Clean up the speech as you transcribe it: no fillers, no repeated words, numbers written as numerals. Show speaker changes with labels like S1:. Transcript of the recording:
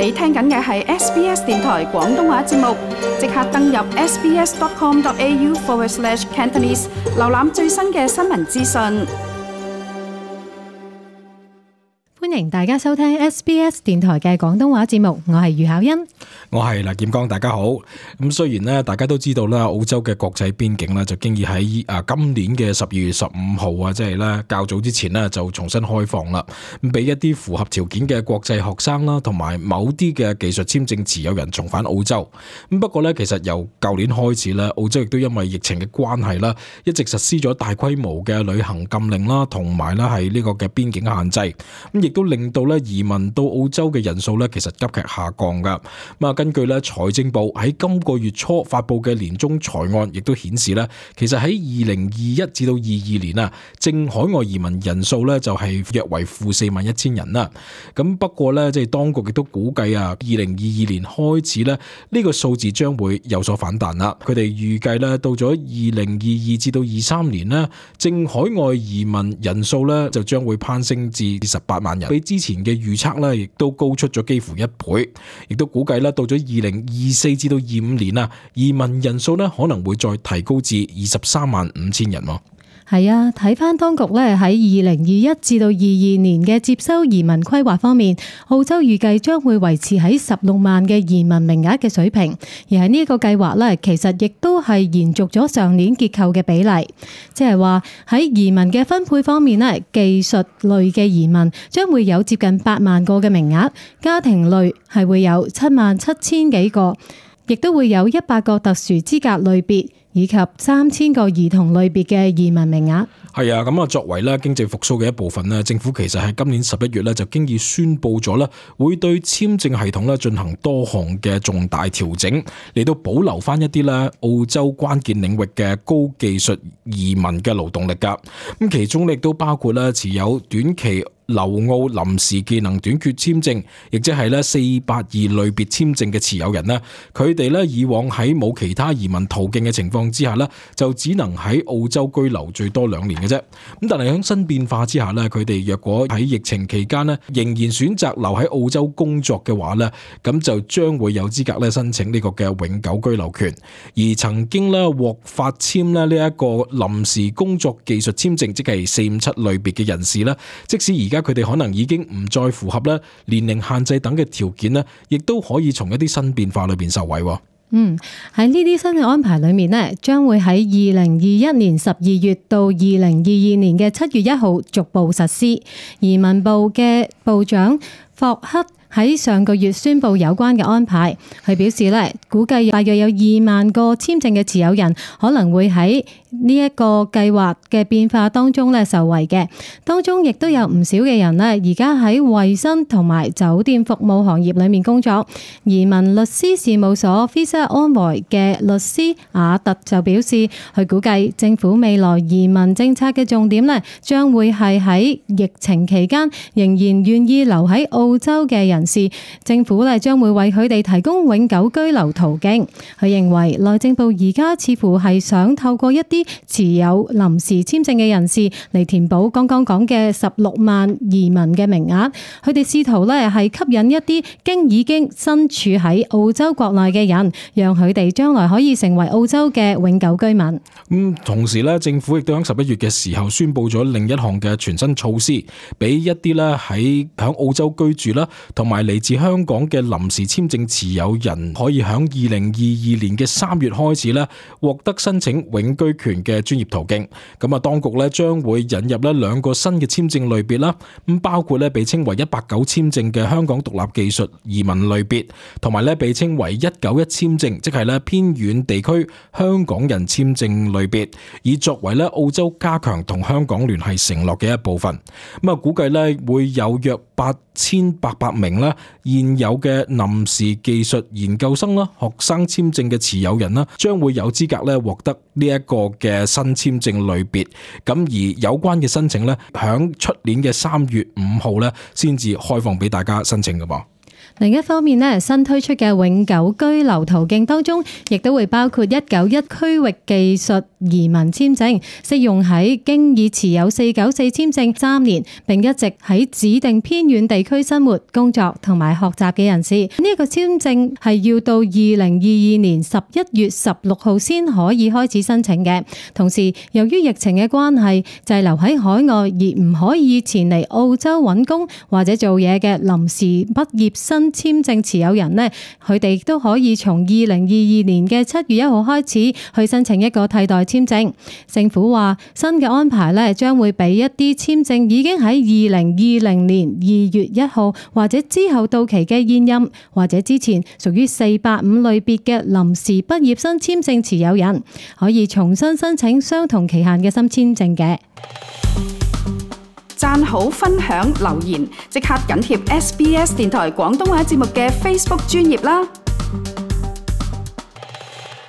S1: 你聽緊嘅係 SBS 電台廣東話節目，即刻登入 sbs.com.au/Cantonese 瀏覽最新嘅新聞資訊。
S2: 歡迎大家收聽 SBS 電台嘅廣東話節目，我係余巧欣，
S3: 我係黎劍剛，大家好。咁雖然咧，大家都知道啦，澳洲嘅國際邊境咧就經已喺今年嘅12月15號啊，即係咧較早之前咧就重新開放啦，咁俾一啲符合條件嘅國際學生啦，同埋某啲嘅技術簽證持有人重返澳洲。咁不過咧，其實由舊年開始咧，澳洲亦都因為疫情嘅關係啦，一直實施咗大規模嘅旅行禁令啦，同埋咧係呢個嘅邊境限制。咁亦都令到咧移民到澳洲嘅人數咧，其實急劇下降噶。咁啊，根據咧財政部喺今個月初發布嘅年終財案，亦都顯示咧，其實喺2021至到22年啊，淨海外移民人數咧就係約為負41000人啦。咁不過咧，即係當局亦都估計啊，2022年開始咧，呢個數字將會有所反彈啦。佢哋預計咧，到咗2022至到23年咧，淨海外移民人數咧就將會攀升至18萬人，比之前嘅預測咧，亦都高出咗幾乎1倍，亦都估計咧到咗2024至到25年啊，移民人數咧可能會再提高至235000人。
S2: 係啊，睇翻當局咧喺2021至到22年嘅接收移民規劃方面，澳洲預計將會維持喺16萬嘅移民名額嘅水平，而喺呢個計劃咧，其實亦都係延續咗上年結構嘅比例，即係話喺移民嘅分配方面咧，技術類嘅移民將會有接近8萬個嘅名額，家庭類係會有77000幾個，亦都會有100個特殊資格類別，以及3000個兒童類別嘅移民名額。
S3: 係啊，咁啊，作為咧經濟復甦嘅一部分咧，政府其實喺今年11月咧就經已宣布咗咧，會對簽證系統咧進行多項嘅重大調整，嚟到保留翻一啲咧澳洲關鍵領域嘅高技術移民嘅勞動力㗎。咁其中亦都包括咧持有短期留澳臨時技能短缺簽證，亦即係咧482類別簽證嘅持有人咧，佢哋咧以往喺冇其他移民途徑嘅情況之下咧，就只能喺澳洲居留最多2年嘅啫。咁但係喺新變化之下咧，佢哋若果喺疫情期間咧仍然選擇留喺澳洲工作嘅話咧，咁就將會有資格咧申請呢個嘅永久居留權。而曾經咧獲發簽咧呢一個臨時工作技術簽證，即係457類別嘅人士咧，即使而家佢哋可能已經唔再符合咧年齡限制等嘅條件咧，亦都可以從一啲新變化裏邊受惠。
S2: 喺呢啲新嘅安排裏面咧，將會喺2021年12月到2022年嘅7月1號逐步實施。移民部嘅部長霍克喺上個月宣布有關嘅安排，佢表示咧，估計大約有2萬個簽證嘅持有人可能會喺呢一個計劃嘅變化當中咧受惠嘅。當中亦都有唔少嘅人咧，而家喺衛生同埋酒店服務行業裏面工作。移民律師事務所 Visa Envoy 嘅律師亞特就表示，佢估計政府未來移民政策嘅重點咧，將會係喺疫情期間仍然願意留喺澳洲嘅人士，政府咧將會為佢哋提供永久居留途徑。佢認為內政部而家似乎係想透過一啲持有臨時簽證嘅人士嚟填補剛剛講嘅16萬移民嘅名額。佢哋試圖咧係吸引一啲已經身處喺澳洲國內嘅人，讓佢哋將來可以成為澳洲嘅永久居民。
S3: 同時咧，政府亦都喺11月嘅時候宣布咗另一項嘅全新措施，俾一啲咧喺澳洲居住啦，同埋嚟自香港嘅臨時簽證持有人，可以喺2022年嘅3月開始咧獲得申請永居權嘅專業途徑。咁啊，當局咧將會引入咧2個新嘅簽證類別啦，咁包括咧被稱為189簽證嘅香港獨立技術移民類別，同埋咧被稱為191簽證，即係咧偏遠地區香港人簽證類別，以作為咧澳洲加強同香港聯繫承諾嘅一部分。咁啊，估計咧會有約8800名啦現有嘅臨時技術研究生啦、學生簽證嘅持有人啦，將會有資格咧獲得呢一個嘅新簽證類別。咁而有關嘅申請咧，響出年嘅3月5號咧先至開放俾大家申請㗎噃。
S2: 另一方面咧，新推出嘅永久居留途徑當中，亦都會包括191區域技術移民簽證，適用喺經已持有494簽證3年，並一直喺指定偏遠地區生活、工作同埋學習嘅人士。呢個簽證係要到2022年11月16號先可以開始申請嘅。同時，由於疫情嘅關係，滯留喺海外而唔可以前嚟澳洲揾工或者做嘢嘅臨時畢業生簽證持有人呢，佢哋都可以從2022年嘅7月1號開始去申請一個替代簽證。政府話新嘅安排呢，將會俾一啲簽證已經喺2020年2月1號或者之後到期嘅現任或者之前屬於485類別嘅臨時畢業生簽證持有人，可以重新申請相同期限嘅新簽證嘅。
S1: 讚好、分享、留言，即刻緊貼SBS 電台廣東話節目嘅 Facebook 專頁啦！